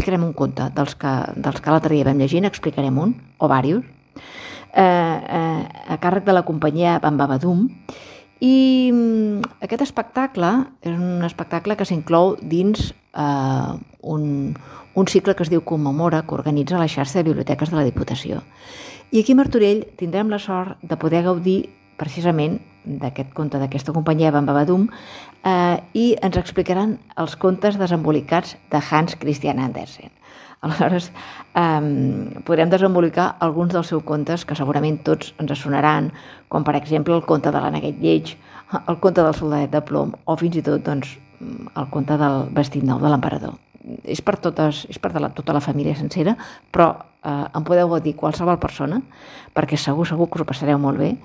explicarem un conte dels que l'altre dia vam llegir, n'explicarem un, o diversos, a càrrec de la companyia Bambabadum. I aquest espectacle és un espectacle que s'inclou dins un cicle que es diu Commemora, que organitza la xarxa de biblioteques de la Diputació. I aquí a Martorell tindrem la sort de poder gaudir precisament d'aquest conte d'aquesta companyia Bambabadum i ens explicaran els contes desembolicats de Hans Christian Andersen. Aleshores, podrem desembolicar alguns dels seus contes que segurament tots ens sonaran, com per exemple el conte de l'Aneguet Lleig, el conte del soldadet de plom o fins i tot el conte del vestit nou de l'emperador. És per tota la família sencera, però en podeu gaudir qualsevol persona perquè segur que us ho passareu molt bé.